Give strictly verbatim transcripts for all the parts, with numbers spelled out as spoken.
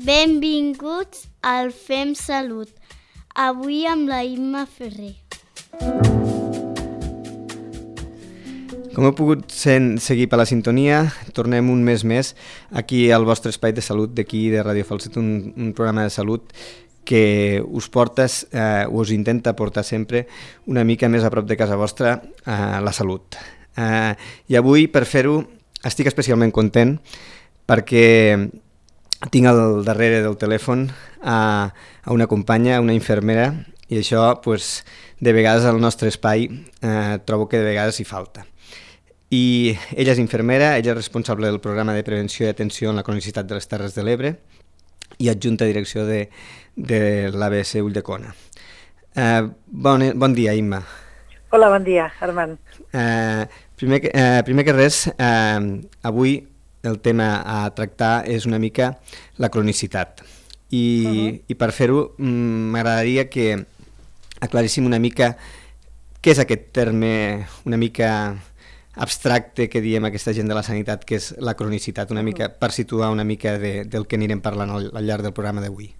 Benvinguts al Fem Salut, avui amb la Imma Ferrer. Com heu pogut seguir per la sintonia, tornem un mes més aquí al vostre espai de salut d'aquí de Ràdio Falset, un, un programa de salut que us porta, eh, us intenta portar sempre una mica més a prop de casa vostra eh, la salut. Eh, I avui, per fer-ho, estic especialment content perquè tinc al darrere del telèfon a, a una companya, una infermera, i això, pues, de vegades al nostre espai eh, trobo que de vegades hi falta. I ella és infermera, ella és responsable del programa de prevenció i atenció en la cronicitat de les Terres de l'Ebre i adjunta a direcció de, de l'A B C Ulldecona. Eh, bon, bon dia, Imma. Hola, bon dia, Armand. Eh, primer, eh, primer que res, eh, avui el tema a tractar és una mica la cronicitat. I, uh-huh. i per fer-ho m'agradaria que aclaríssim una mica què és aquest terme una mica abstracte que diem aquesta gent de la sanitat, que és la cronicitat, una mica per situar una mica de, del que anirem parlant al, al llarg del programa d'avui.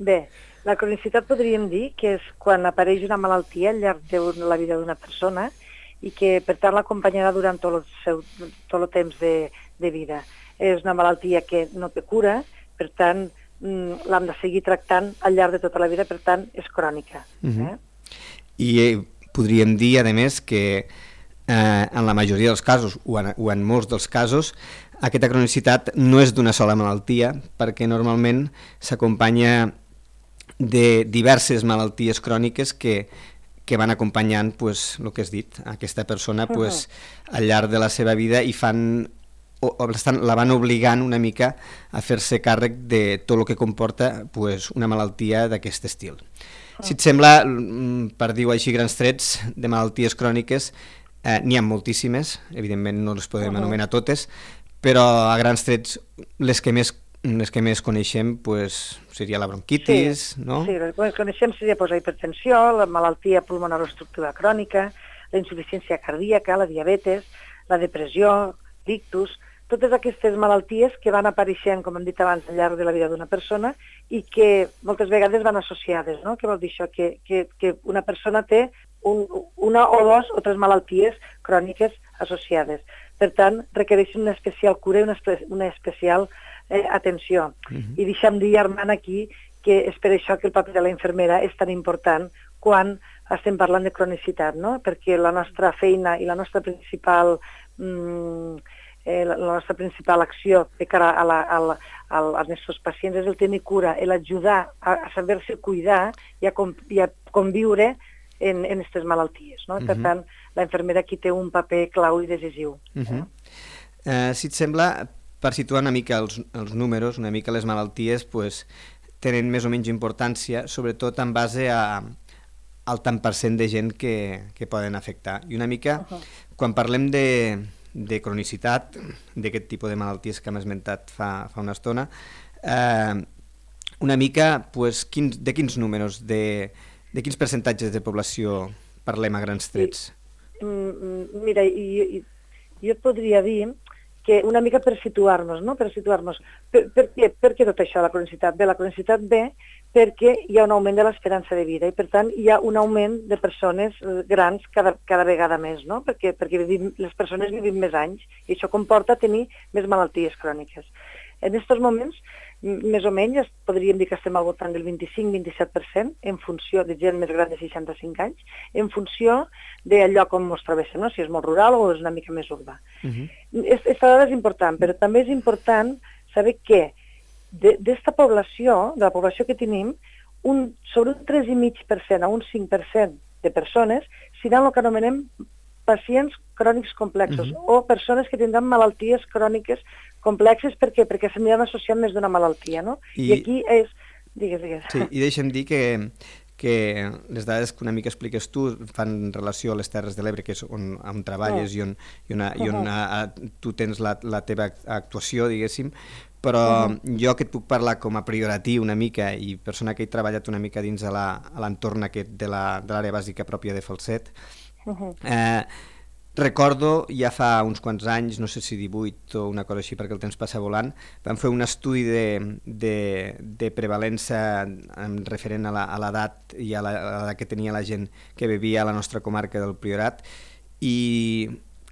Bé, la cronicitat podríem dir que és quan apareix una malaltia al llarg de la vida d'una persona i que, per tant, l'acompanyarà durant tot el, seu, tot el temps de, de vida. És una malaltia que no té cura, per tant, l'hem de seguir tractant al llarg de tota la vida, per tant, és crònica. Uh-huh. eh? I eh, podríem dir, a més, que eh, en la majoria dels casos, o en, o en molts dels casos, aquesta cronicitat no és d'una sola malaltia, perquè normalment s'acompanya de diverses malalties cròniques que que van acompanyant, pues, el que has dit, aquesta persona pues, uh-huh. al llarg de la seva vida i fan, o, o la van obligant una mica a fer-se càrrec de tot el que comporta pues, una malaltia d'aquest estil. Uh-huh. Si et sembla, per dir-ho així grans trets, de malalties cròniques, eh, n'hi ha moltíssimes, evidentment no les podem uh-huh. anomenar totes, però a grans trets les que més les que més coneixem pues, seria la bronquitis, sí, no? Sí, les que coneixem seria pues, la hipertensió, la malaltia pulmonar obstructiva crònica, la insuficiència cardíaca, la diabetes, la depressió, l'ictus, totes aquestes malalties que van apareixent, com hem dit abans, al llarg de la vida d'una persona i que moltes vegades van associades, no? Què vol dir això? Que, que, que una persona té un, una o dos o tres malalties cròniques associades. Per tant, requereixen una especial cura i una, una especial Eh, atenció. Uh-huh. I deixa'm dir, Armand, aquí que és per això que el paper de la infermera és tan important quan estem parlant de cronicitat, no? Perquè la nostra feina i la nostra principal mm, eh, la, la nostra principal acció de cara a la, a la, a la, als nostres pacients és el tenir cura, l'ajudar a, a saber-se cuidar i a, com, i a conviure en aquestes malalties, no? Uh-huh. Per tant, la infermera aquí té un paper clau i decisiu. Uh-huh. eh, si et sembla, per situar una mica els, els números, una mica les malalties, pues, tenen més o menys importància, sobretot en base a, al tant per cent de gent que, que poden afectar. I una mica, uh-huh. quan parlem de, de cronicitat, d'aquest tipus de malalties que hem esmentat fa, fa una estona, eh, una mica, pues, quins, de quins números, de, de quins percentatges de població parlem a grans trets? I, mira, i, i, jo et podria dir que una mica per situar-nos, no? Per situar-nos. Per, per, què? per què tot això, la cronicitat? Bé, la cronicitat ve perquè hi ha un augment de l'esperança de vida i, per tant, hi ha un augment de persones grans cada, cada vegada més, no? Perquè, perquè vivim, les persones vivim més anys i això comporta tenir més malalties cròniques. En aquests moments, més o menys, podríem dir que estem al voltant del vint-i-cinc a vint-i-set per cent en funció de gent més gran de seixanta-cinc anys, en funció del lloc on ens trobéssim, no? Si és molt rural o és una mica més urbà. Uh-huh. Aquesta dada és important, però també és important saber que d'esta població, de la població que tenim, un, sobre un tres coma cinc per cent a un cinc per cent de persones seran el que anomenem pacients crònics complexos uh-huh. o persones que tindran malalties cròniques complexes. Per què? Perquè s'aniran associant més d'una malaltia, no? I, I aquí és... Digues, digues. Sí, i deixa'm dir que, que les dades que una mica expliques tu fan relació a les Terres de l'Ebre, que és on, on treballes uh-huh. i on, i on, i on uh-huh. a, a, tu tens la, la teva actuació, diguéssim, però uh-huh. jo que et puc parlar com a prioratiu una mica i persona que he treballat una mica dins de l'entorn aquest de l'àrea bàsica pròpia de Falset, uh-huh. eh, recordo ja fa uns quants anys, no sé si divuit o una cosa així perquè el temps passa volant, vam fer un estudi de, de, de prevalença referent a l'edat i a l'edat que tenia la gent que vivia a la nostra comarca del Priorat, i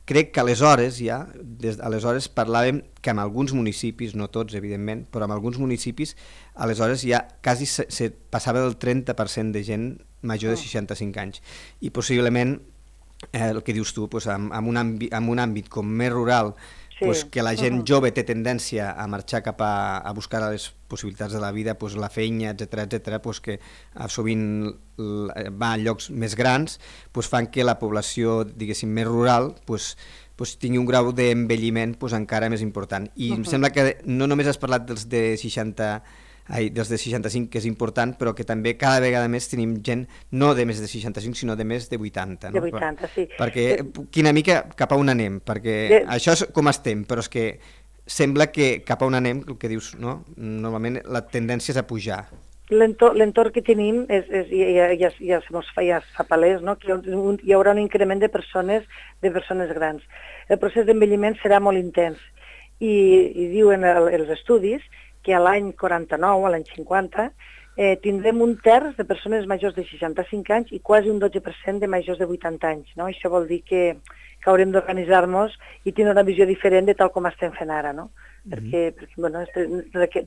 crec que aleshores ja, des d'aleshores parlàvem que en alguns municipis, no tots evidentment, però en alguns municipis aleshores ja quasi se, se passava del trenta per cent de gent major de seixanta-cinc anys, i possiblement eh, el que dius tu, pues, en, en, un àmbit, en un àmbit com més rural, sí. pues, que la gent uh-huh. jove té tendència a marxar cap a, a buscar les possibilitats de la vida, pues, la feina, etcètera, etcètera, pues, que sovint va a llocs més grans, pues, fan que la població, diguéssim, més rural, pues, pues, tingui un grau d'envelliment pues, encara més important. I uh-huh. em sembla que no només has parlat dels de seixanta Ai, dels de seixanta-cinc, que és important, però que també cada vegada més tenim gent no de més de seixanta-cinc, sinó de més de vuitanta. No? De vuitanta, sí. Perquè, quina mica, cap a on anem? Perquè de... això és com estem, però és que sembla que cap a on anem, el que dius, no? Normalment la tendència és a pujar. L'entorn que tenim és, és, ja, ja, ja, ja es fa palès, no? Que hi haurà un increment de persones, de persones grans. El procés d'envelliment serà molt intens i, i diuen el, els estudis que a l'any quaranta-nou, a l'any cinquanta, eh, tindrem un terç de persones majors de seixanta-cinc anys i quasi un dotze per cent de majors de vuitanta anys. No? Això vol dir que, que haurem d'organitzar-nos i tindre una visió diferent de tal com estem fent ara, no? Mm-hmm. perquè, perquè bueno,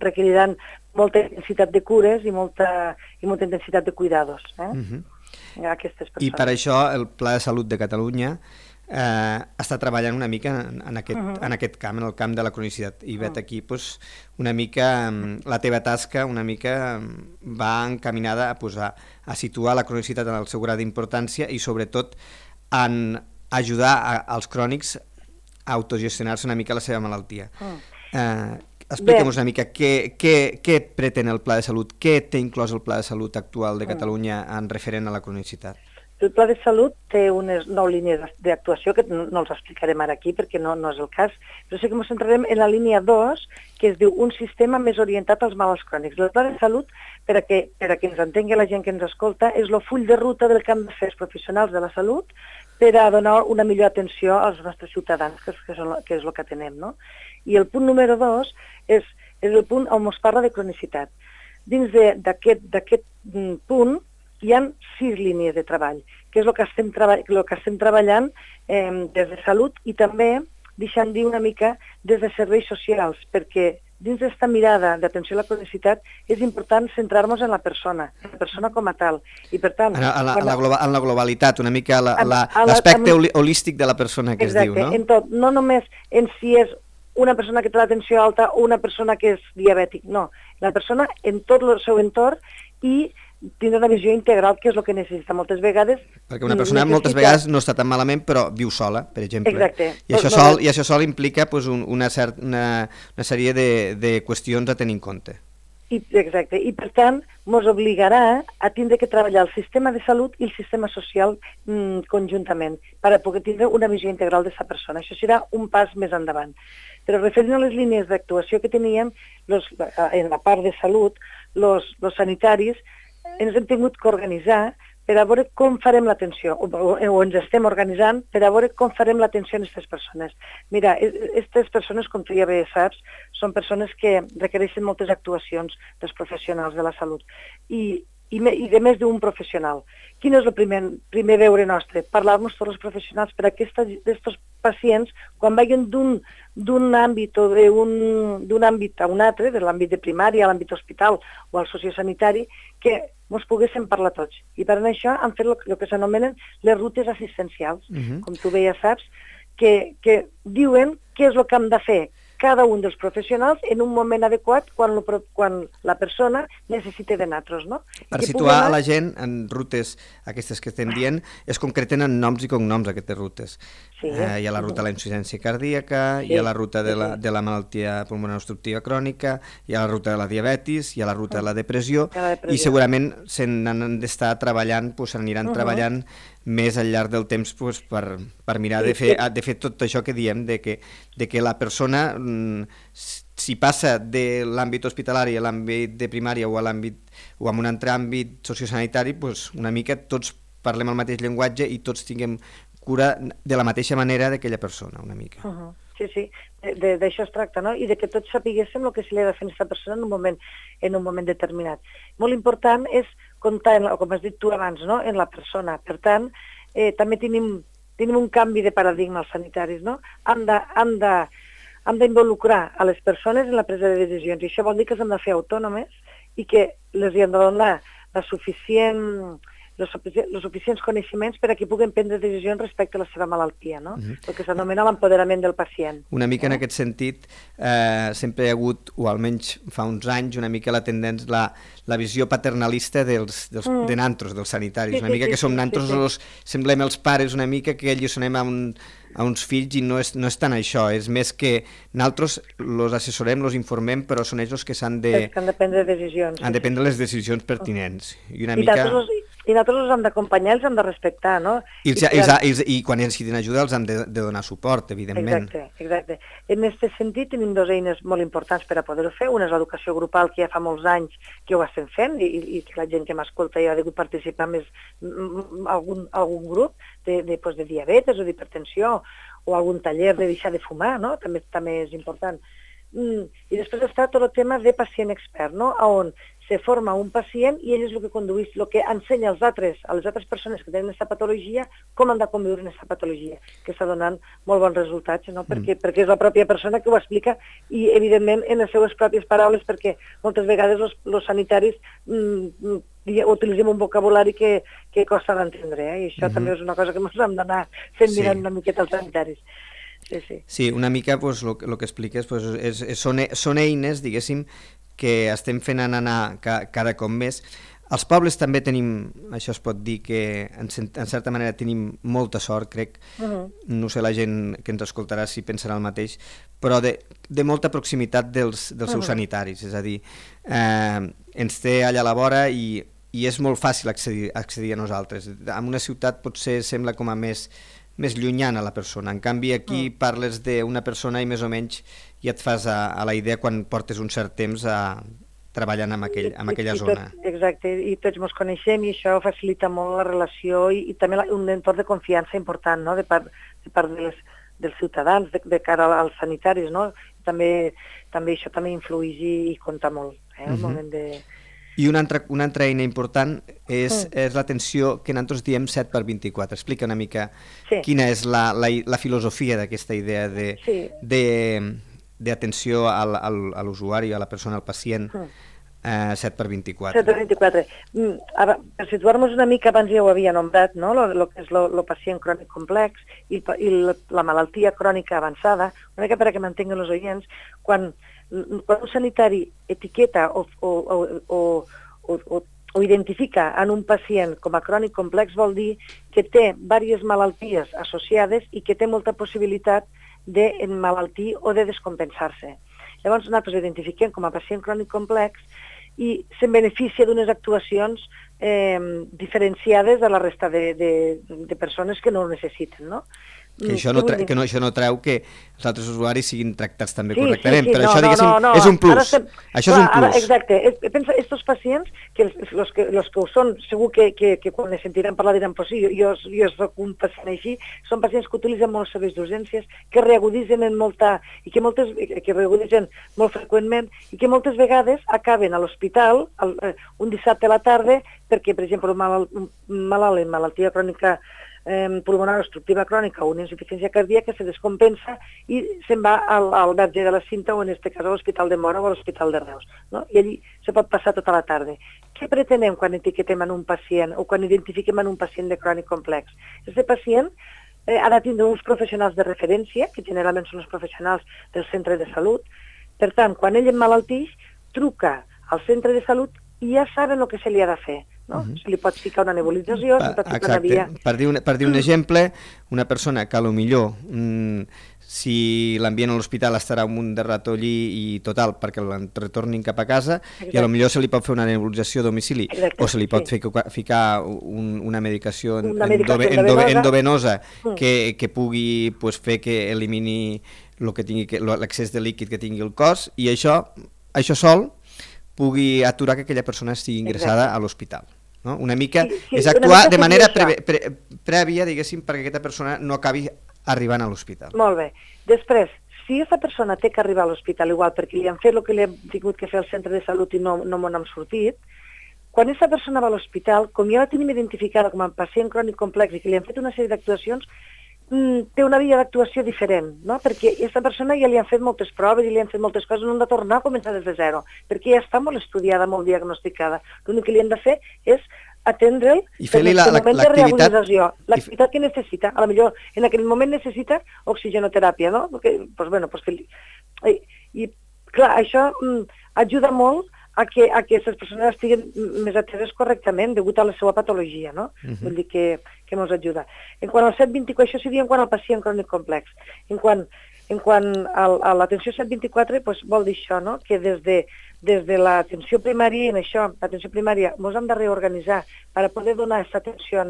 requeriran molta intensitat de cures i molta, i molta intensitat de cuidados. Eh? Mm-hmm. Aquestes persones. I per això el Pla de Salut de Catalunya Eh, està treballant una mica en, en, aquest, uh-huh. en aquest camp, en el camp de la cronicitat, i vet aquí pues, una mica la teva tasca una mica va encaminada a, pues, a, a situar la cronicitat en el seu grau d'importància i sobretot en ajudar a, als crònics a autogestionar-se una mica la seva malaltia. Uh. Eh, Explica'm una mica què, què, què pretén el Pla de Salut, què té inclòs el Pla de Salut actual de Catalunya en referent a la cronicitat? El Pla de Salut té unes nou línies d'actuació que no, no els explicarem ara aquí perquè no, no és el cas, però sí que ens centrarem en la línia dos, que es diu un sistema més orientat als malalts crònics. El Pla de Salut, per a que, per a que ens entengui la gent que ens escolta, és el full de ruta del que han de fer els professionals de la salut per a donar una millor atenció als nostres ciutadans, que és, que és, el, que és el que tenem. No? I el punt número dos és, és el punt on ens parla de cronicitat. Dins d'aquest punt hi ha sis línies de treball, que és el que estem, treba el que estem treballant eh, des de salut i també, deixant dir una mica, des de serveis socials, perquè dins d'aquesta mirada d'atenció a la cronicitat és important centrar-nos en la persona, en la persona com a tal. I per tant... En la, en la, globa, en la globalitat, una mica l'aspecte la, holístic de la persona que exacte, es diu, no? En tot, no només en si és una persona que té la tensió alta o una persona que és diabètic, no. La persona en tot el seu entorn i tindre una visió integral, que és el que necessita moltes vegades. Perquè una persona necessita... moltes vegades no està tan malament, però viu sola, per exemple. Exacte. I això sol, i això sol implica pues, un, una, cert, una, una sèrie de, de qüestions a tenir en compte. I, exacte. I per tant, ens obligarà a tindre que treballar el sistema de salut i el sistema social mmm, conjuntament, per a poder tindre una visió integral d'aquesta persona. Això serà un pas més endavant. Però referint a les línies d'actuació que teníem, los, en la part de salut, els sanitaris, ens hem tingut que organitzar per a veure com farem l'atenció, o, o, o ens estem organitzant per a veure com farem l'atenció a aquestes persones. Mira, aquestes persones, com tu ja bé saps, són persones que requereixen moltes actuacions dels professionals de la salut i, i, me, i de més d'un professional. Quin és el primer, primer deure nostre? Parlar-nos tots els professionals per a aquests pacients, quan vagin d'un àmbit o d'un àmbit a un altre, de l'àmbit de primària, a l'àmbit hospital o al sociosanitari, que ens poguéssim parlar tots. I per això han fet el que s'anomenen les rutes assistencials, uh-huh. com tu bé ja saps, que, que diuen què és el que hem de fer cada un dels professionals en un moment adequat quan, lo, quan la persona necessita de nosaltres, no? Per situar anar... a la gent en rutes aquestes que estem dient, es concreten en noms i cognoms aquestes rutes. Sí, eh, hi ha la ruta de la insuficiència cardíaca, sí, hi ha la ruta de la, de la malaltia pulmonar obstructiva crònica, hi ha la ruta de la diabetis, hi ha la ruta de la depressió, la depressió. I segurament se n'han d'estar treballant, doncs s'aniran uh -huh. treballant més al llarg del temps pues, per, per mirar sí, de, fer, sí. de fer tot això que diem, de que, de que la persona, si passa de l'àmbit hospitalari a l'àmbit de primària o a l'àmbit o a un altre àmbit sociosanitari, pues, una mica tots parlem el mateix llenguatge i tots tinguem cura de la mateixa manera d'aquella persona, una mica. Uh -huh. Sí, sí, d'això es tracta, no? I de que tots sapiguéssim el que se li ha de fer a aquesta persona en un moment, en un moment determinat. Molt important és comptar, en la, com has dit tu abans, no? En la persona. Per tant, eh, també tenim, tenim un canvi de paradigma als sanitaris, no? Hem de, hem de, hem d'involucrar a les persones en la presa de decisions, i això vol dir que s'han de fer autònomes i que les hi han de donar la suficient... els suficients coneixements per a que puguen prendre decisions respecte a la seva malaltia, no? Uh-huh. El que s'anomena l'empoderament del pacient. Una mica eh? en aquest sentit, eh, sempre hi ha hagut, o almenys fa uns anys, una mica la tendència, la, la visió paternalista dels, dels, mm. de nantros, dels sanitaris, sí, una mica sí, que som sí, nantros, sí, sí. Los, semblem els pares una mica que alliçonem a, un, a uns fills i no és, no és tant això, és més que nosaltres els assessorem, els informem, però són ells els que s'han de... que han de prendre decisions. Han de prendre les decisions pertinents. I una I mica... I nosaltres els hem d'acompanyar, els hem de respectar, no? I, els, I, els, i quan necessiten ajuda els hem de, de donar suport, evidentment. Exacte, exacte. En aquest sentit tenim dues eines molt importants per a poder-ho fer. Una és l'educació grupal, que ja fa molts anys que ho estem fent, i, i que la gent que m'escolta ja ha degut participar més en algun, algun grup de, de, pues, de diabetes o d'hipertensió, o algun taller de deixar de fumar, no? També, també és important. Mm. I després està tot el tema de pacient expert, no? On se forma un pacient i ell és el que condueix, el que ensenya als altres, a les altres persones que tenen aquesta patologia, com han de conviure en aquesta patologia, que està donant molt bons resultats, no? Perquè, mm. perquè és la pròpia persona que ho explica i, evidentment, en les seues pròpies paraules, perquè moltes vegades els sanitaris mm, utilitzem un vocabulari que, que costa d'entendre, eh? I això mm-hmm. també és una cosa que ens hem d'anar fent sí. mirant una miqueta als sanitaris. Sí, sí. Sí, una mica pues, el que expliques pues, és, és, són, són eines, diguéssim, que estem fent anar ca, cada cop més. Als pobles també tenim, això es pot dir, que en, en certa manera tenim molta sort, crec. Uh-huh. No sé la gent que ens escoltarà si pensarà el mateix, però de, de molta proximitat dels, dels seus uh-huh. sanitaris. És a dir, eh, ens té allà a la vora i, i és molt fàcil accedir, accedir a nosaltres. En una ciutat potser sembla com a més... més llunyana la persona. En canvi, aquí mm. parles d'una persona i més o menys ja et fas a, a la idea quan portes un cert temps a, treballant en, aquell, en aquella I, i zona. Tot, exacte, i tots ens coneixem i això facilita molt la relació i, i també la, un entorn de confiança important, no? de part, de, part de les, dels ciutadans, de, de cara als sanitaris, no? També, també això també influeix i, i compta molt, eh? el uh-huh. moment de... I una altra, una altra eina important és, mm. és l'atenció que nosaltres diem set per vint-i-quatre. Explica una mica sí. quina és la, la, la filosofia d'aquesta idea de, sí. de, d'atenció al, al, a l'usuari, a la persona, al pacient, mm. eh, set per vint-i-quatre. set per vint-i-quatre. Mm, ara, per situar-nos una mica, abans ja ho havia nombrat, no? lo, lo que és el pacient crònic complex i, i la, la malaltia crònica avançada, una mica per a que mantinguen els oients, quan... quan un sanitari etiqueta o, o, o, o, o, o identifica en un pacient com a crònic complex vol dir que té diverses malalties associades i que té molta possibilitat d'emmalaltir o de descompensar-se. Llavors nosaltres identifiquem com a pacient crònic complex i se'n beneficia d'unes actuacions eh, diferenciades de la resta de, de, de persones que no ho necessiten, no? Que això no, que no, això no treu que els altres usuaris siguin tractats també sí, correctament, sí, sí, però no, això, diguéssim, no, no, és un plus. Estem... Això Clar, és un plus. Ara, exacte. Es, pensa, estos pacients, que els, los, que, los que ho són, segur que, que, que quan les sentiran parlar diran, pues sí, jo, jo soc un pacient així, són pacients que utilitzen molts serveis d'urgències, que reaguditzen en molta, i que moltes, que reaguditzen molt freqüentment, i que moltes vegades acaben a l'hospital un dissabte a la tarda, perquè, per exemple, un malalt, un malalt en malaltia crònica Eh, pulmonar obstructiva crònica o una insuficiència cardíaca se descompensa i se'n va al, al verge de la Cinta o en aquest cas a l'Hospital de Móra o a l'Hospital de Reus, no? I allí se pot passar tota la tarda. Què pretenem quan etiquetem en un pacient o quan identifiquem en un pacient de crònic complex? Aquest pacient eh, ha de tindre uns professionals de referència, que generalment són els professionals del centre de salut. Per tant, quan ell emmalaltix, truca al centre de salut i ja saben el que se li ha de fer. No? Uh-huh. Se li pot ficar una nebulització, se pot ficar una via... Per dir un, per dir un exemple, una persona que potser mm, si l'envien a l'hospital estarà un munt de rato allí i total, perquè el retornin cap a casa, exacte. I potser se li pot fer una nebulització a domicili, exacte, o se li pot sí. ficar, ficar un, una medicació, una medicació endovenosa, endovenosa mm. que, que pugui pues, fer que elimini l'accés de líquid que tingui el cos, i això, això sol pugui aturar que aquella persona estigui ingressada exacte. A l'hospital. no? Una mica sí, sí, és actuar mica de manera pre pre pre prèvia, diguéssim, perquè aquesta persona no acabi arribant a l'hospital. Molt bé. Després, si aquesta persona té que arribar a l'hospital igual perquè li han fet el que li han tingut que fer al centre de salut i no, no m'ho n'hem sortit, quan aquesta persona va a l'hospital, com ja la tenim identificada com a pacient crònic complex i que li han fet una sèrie d'actuacions, té una via d'actuació diferent, no? Perquè aquesta persona ja li han fet moltes proves i li han fet moltes coses, no han de tornar a començar des de zero, perquè ja està molt estudiada, molt diagnosticada. L'únic que li han de fer és atendre'l en el moment de rehabilitació, l'activitat que necessita. A lo millor en aquell moment necessita oxigenoteràpia, no? Perquè, pues, bueno, pues que li... I, I, clar, això mm, ajuda molt a que, a que aquestes persones estiguin més ateses correctament degut a la seva patologia, no? Uh -huh. Vull dir que, que ens ajuda. En quant al set vint-i-quatre, això seria en quant al pacient crònic complex. En quant, en quant al, a l'atenció set vint-i-quatre, pues, vol dir això, no? Que des de, des de l'atenció primària, en això, l'atenció primària, ens hem de reorganitzar per a poder donar aquesta atenció a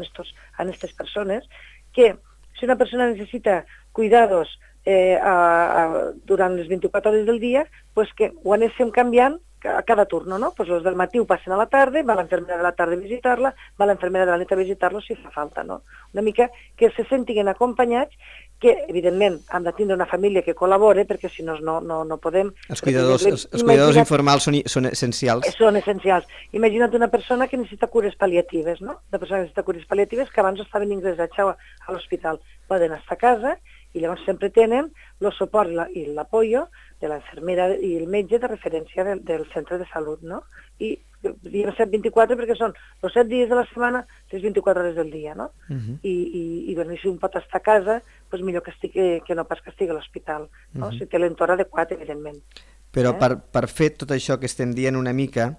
aquestes persones, que si una persona necessita cuidados eh, a, a, durant les vint-i-quatre hores del dia, pues que ho anéssim canviant a cada turno, no? Pues els del matí ho passen a la tarda, va l'infermera de la tarda a visitar-la, va l'infermera de la nit a visitar-lo si fa falta, no? Una mica que se sentin acompanyats, que evidentment han de tindre una família que col·labore, perquè si no no, no, no podem... Els cuidadors, els, els cuidadors informals són, són essencials. Són essencials. Imagina't una persona que necessita cures pal·liatives, no? Una persona que necessita cures pal·liatives que abans estaven ingressats a, a l'hospital. Poden estar a casa i llavors sempre tenen el suport i l'apoyo de la infermera i el metge de referència del, del centre de salut, no? I diem set vint-i-quatre perquè són els set dies de la setmana, les vint-i-quatre hores del dia, no? Uh -huh. I, i, i, bueno, i si un pot estar a casa, doncs millor que, estigui, que no pas que estigui a l'hospital, no? Uh -huh. Si té l'entorn adequat, evidentment. Però eh? per, per fer tot això que estem dient una mica,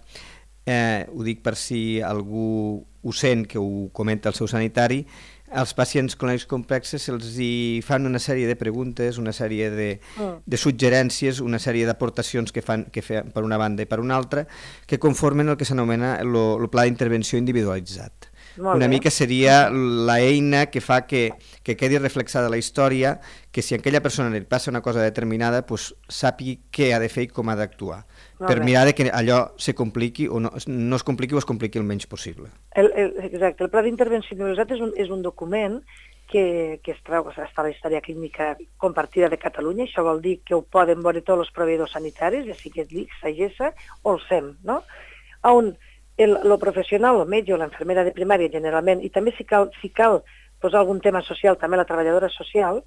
eh, ho dic per si algú ho sent, que ho comenta el seu sanitari, als pacients crònics complexes se'ls hi fan una sèrie de preguntes, una sèrie de, mm. de suggerències, una sèrie d'aportacions que fan que fan per una banda i per una altra, que conformen el que s'anomena el pla d'intervenció individualitzat. Molt una bé. Mica seria l'eina que fa que, que quedi reflexada la història, que si a aquella persona li passa una cosa determinada, pues, sàpigui què ha de fer i com ha d'actuar, per bé. Mirar de que allò se compliqui o no, no es compliqui o es compliqui el menys possible. El, el, exacte, el pla d'intervenció individualitzat és un, és un document que, que es treu, està a la història clínica compartida de Catalunya, això vol dir que ho poden veure tots els proveïdors sanitaris, ja sigui l'I C S, Sagessa o el S E M, no? On el, el professional, el metge o l'infermera de primària generalment, i també si cal, si cal posar algun tema social, també la treballadora social,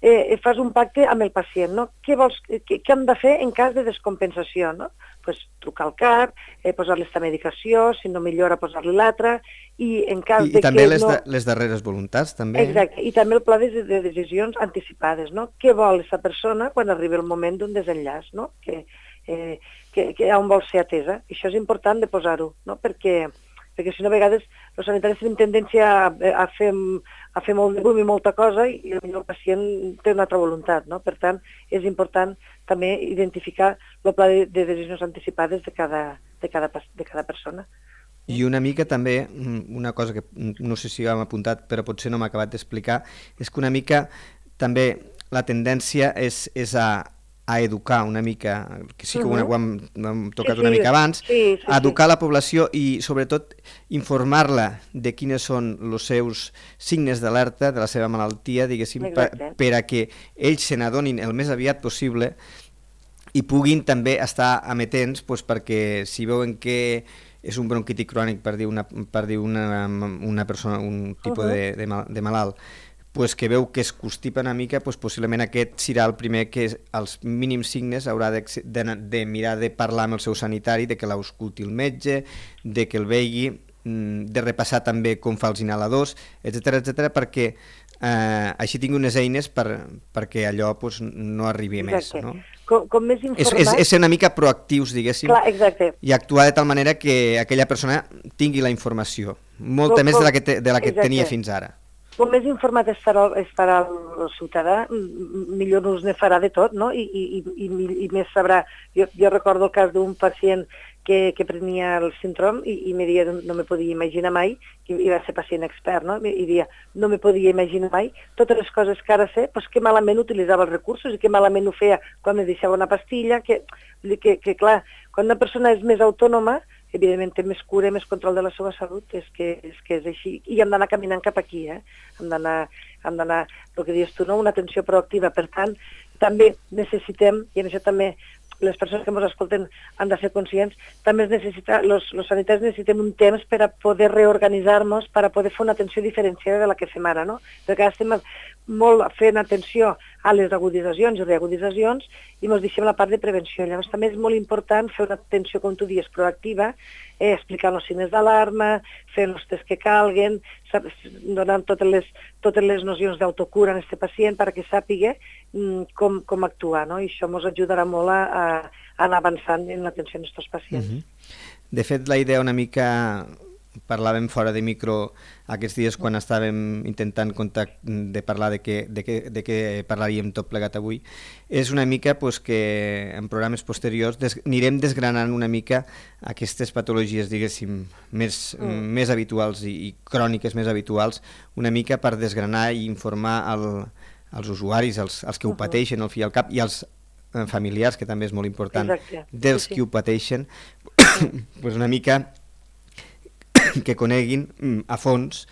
eh, fas un pacte amb el pacient, no? Què, vols, què, què hem de fer en cas de descompensació, no? Pues, trucar al cap, eh, posar-li aquesta medicació, si no millora posar-li l'altra, i en cas I, de i també que les, no... de, les darreres voluntats, també. Exacte, i també el pla de, de decisions anticipades, no? Què vol aquesta persona quan arribi el moment d'un desenllaç, no? Que, eh, que, que on vol ser atesa. I això és important de posar-ho, no? Perquè, perquè si no a vegades els sanitaris tenen tendència a, a, fer, a fer molt de boom i molta cosa i el pacient té una altra voluntat, no? Per tant, és important també identificar el pla de, de decisions anticipades de cada, de, cada, de cada persona. I una mica també, una cosa que no sé si ho hem apuntat però potser no m'ha acabat d'explicar, és que una mica també la tendència és, és a, a educar una mica, que sí que uh-huh. ho, hem, ho hem tocat sí, sí, una mica abans, sí, sí, a educar sí. la població i sobretot informar-la de quins són els seus signes d'alerta de la seva malaltia, diguéssim, per, per a que ells se n'adonin el més aviat possible i puguin també estar amatents doncs, perquè si veuen que és un bronquitis crònic, per dir una, per dir una, una persona, un tipus uh-huh. de, de, mal, de malalt, pues que veu que es constipa una mica, pues possiblement aquest serà el primer que als mínims signes haurà de, de, de mirar de parlar amb el seu sanitari, de que l'ausculti el metge, de que el vegi, de repassar també com fa els inhaladors, etcètera, etcètera, perquè eh, així tingui unes eines per, perquè allò pues, no arribi més. No? Com, com més informat... És, és, és ser una mica proactius, diguéssim, Clar, exacte. i actuar de tal manera que aquella persona tingui la informació, molta com, més de la que, te, de la que tenia fins ara. Com més informat estarà, estarà el ciutadà, millor us ne farà de tot, no? I, i, i, i més sabrà... Jo, jo recordo el cas d'un pacient que, que prenia el síndrome i, i me dia, no me podia imaginar mai, que i va ser pacient expert, no? I dia, no me podia imaginar mai totes les coses que ara sé, pues que malament utilitzava els recursos i que malament ho feia quan me deixava una pastilla, que, que, que clar, quan una persona és més autònoma, evidentment té més cura, més control de la seva salut, és que és, que és així. I hem d'anar caminant cap aquí, eh? Hem d'anar, hem d'anar, el que dius tu, no? Una atenció proactiva. Per tant, també necessitem, i en això també les persones que ens escolten han de ser conscients, també es necessita, los, los sanitaris necessitem un temps per a poder reorganitzar-nos, per a poder fer una atenció diferenciada de la que fem ara, no? Perquè ara estem molt fent atenció a les aguditzacions i reaguditzacions i ens deixem la part de prevenció. Llavors també és molt important fer una atenció, com tu dius, proactiva, eh, explicant els signes d'alarma, fent els tests que calguen, donant totes les, totes les nocions d'autocura en aquest pacient perquè sàpiga mm, com, com actuar, no? I això ens ajudarà molt a, a anar avançant en l'atenció als nostres pacients. Uh-huh. De fet, la idea una mica... Parlàvem fora de micro aquests dies quan estàvem intentant contact, de parlar de què, de, què, de què parlaríem tot plegat avui, és una mica pues, que en programes posteriors des, anirem desgranant una mica aquestes patologies, diguéssim, més, mm. més habituals i, i cròniques més habituals, una mica per desgranar i informar el, els usuaris, els, els que ho pateixen al fi i al cap, i els familiars, que també és molt important, Exacte. dels sí, sí. qui ho pateixen, pues una mica que coneguin a fons,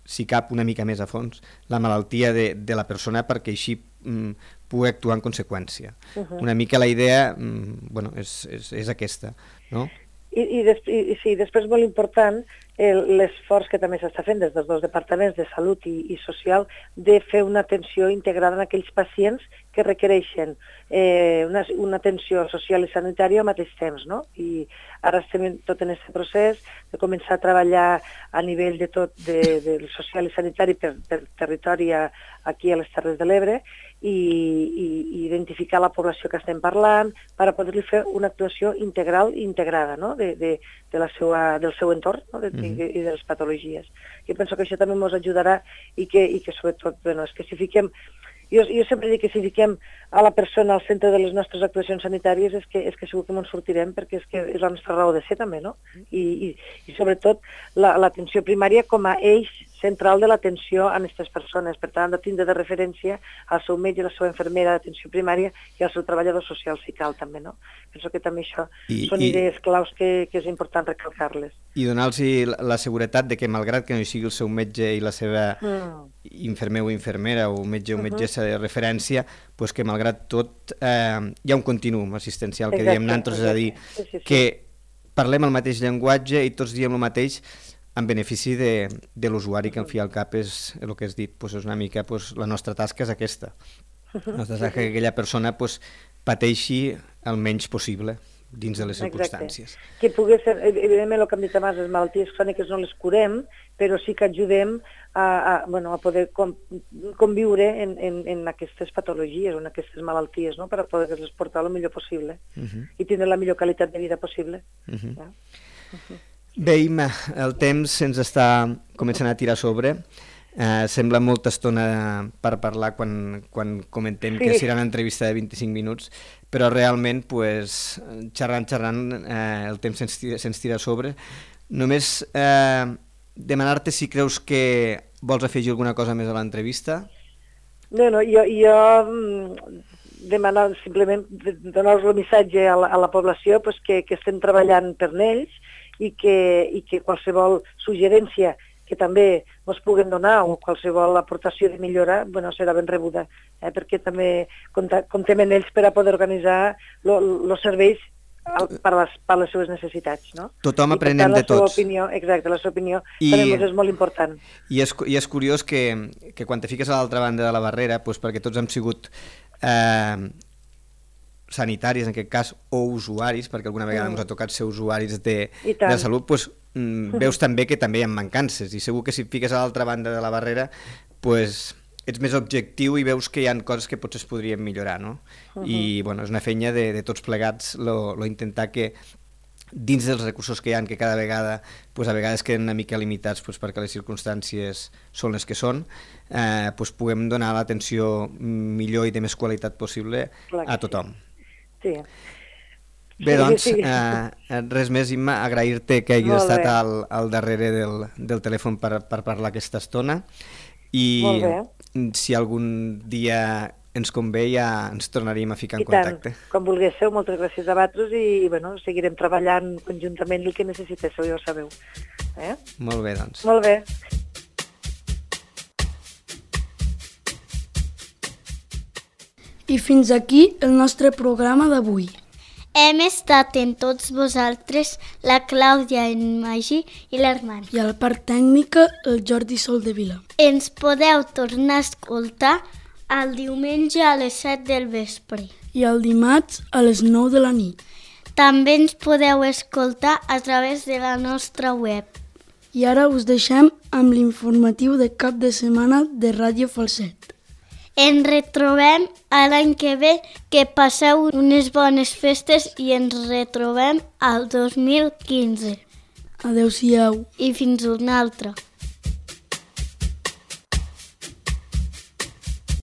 si cap una mica més a fons, la malaltia de, de la persona perquè així mm, pugui actuar en conseqüència. Uh-huh. Una mica la idea mm, bueno, és, és, és aquesta, no? I, i, des, i, i sí, després molt important l'esforç que també s'està fent des dels dos departaments de salut i, i social de fer una atenció integrada en aquells pacients que requereixen eh, una, una atenció social i sanitària al mateix temps, no? I ara estem tot en aquest procés de començar a treballar a nivell de tot de, del social i sanitari per, per territori a, aquí a les Terres de l'Ebre i, i, i identificar la població que estem parlant per a poder-li fer una actuació integral i integrada, no? de, de, de la seva, del seu entorn, no? de, mm-hmm. i, i de les patologies. Jo penso que això també ens ajudarà i que, i que sobretot, bueno, és que si fiquem Jo, jo sempre dic que si fiquem a la persona al centre de les nostres actuacions sanitàries és que, és que segur que ens sortirem perquè és que és la nostra raó de ser també, no? I, i, i sobretot l'atenció primària com a eix central de l'atenció a aquestes persones. Per tant, han de tindre de referència al seu metge, la seva infermera d'atenció primària i al seu treballador social si cal també, no? Penso que també això I, són i, idees claus que, que és important recalcar-les. I donar-los la seguretat de que malgrat que no hi sigui el seu metge i la seva mm. infermer o infermera o metge o metgessa de referència, pues que malgrat tot eh, hi ha un continuum assistencial que exacte, diem nosaltres, és a dir, sí, sí, sí. que parlem el mateix llenguatge i tots diem el mateix en benefici de, de l'usuari, que al fi i al cap és el que has dit, pues és una mica pues, la nostra tasca és aquesta. La nostra tasca és que aquella persona pues, pateixi el menys possible dins de les circumstàncies. Exacte. Que pugui ser, evidentment el que hem dit abans, les malalties cròniques no les curem, però sí que ajudem a, a, bueno, a poder com, conviure en, en, en aquestes patologies o en aquestes malalties, no? Per a poder-les portar el millor possible uh-huh. i tindre la millor qualitat de vida possible. Uh-huh. Ja? Uh-huh. Bé, Imma, el temps ens està començant a tirar sobre. Eh, sembla molta estona per parlar quan, quan comentem sí. que serà una entrevista de vint-i-cinc minuts, però realment, pues, xerrant, xerrant, eh, el temps se'ns tira, se'ns tira a sobre. Només eh, demanar-te si creus que vols afegir alguna cosa més a l'entrevista. No, no, jo, jo demanar simplement, donar-los el missatge a la, a la població pues, que, que estem treballant per ells i que, i que qualsevol suggerència que també ens puguem donar o qualsevol aportació de millora bueno, serà ben rebuda, eh, perquè també comptem en ells per a poder organitzar els serveis per les, per les seves necessitats. No? Tothom aprenem de tots. Opinió, exacte, la seva opinió I, també és molt important. I és, i és curiós que, que quan te fiques a l'altra banda de la barrera, doncs perquè tots hem sigut eh, sanitaris, en aquest cas, o usuaris, perquè alguna vegada mm. ens ha tocat ser usuaris de, de salut, doncs, mm, veus també que també hi ha mancances, i segur que si et fiques a l'altra banda de la barrera, doncs, ets més objectiu i veus que hi ha coses que potser es podrien millorar, no? Uh-huh. I, bueno, és una feina de, de tots plegats lo, lo intentar que dins dels recursos que hi ha, que cada vegada, pues, a vegades queden una mica limitats pues, perquè les circumstàncies són les que són, eh, pues, puguem donar l'atenció millor i de més qualitat possible a tothom. Sí. Bé, doncs, sí, sí. Eh, res més, Imma, agrair-te que hagis Molt estat al, al darrere del, del telèfon per, per parlar aquesta estona i si algun dia ens convé i ja ens tornaríem a ficar en I tant, contacte. quan vulguéssiu, moltes gràcies a vosaltres i, i bueno, seguirem treballant conjuntament el que necessitéssiu, ja ho sabeu. Eh? Molt bé, doncs. Molt bé. I fins aquí el nostre programa d'avui. Hem estat en tots vosaltres la Clàudia, en Magí i l'Armand. I a la part tècnica, el Jordi Soldevila. Ens podeu tornar a escoltar el diumenge a les set del vespre. I el dimarts a les nou de la nit. També ens podeu escoltar a través de la nostra web. I ara us deixem amb l'informatiu de cap de setmana de Ràdio Falset. Ens retrobem a l'any que ve, que passeu unes bones festes i ens retrobem al dos mil quinze. Adéu-siau. I fins una altra.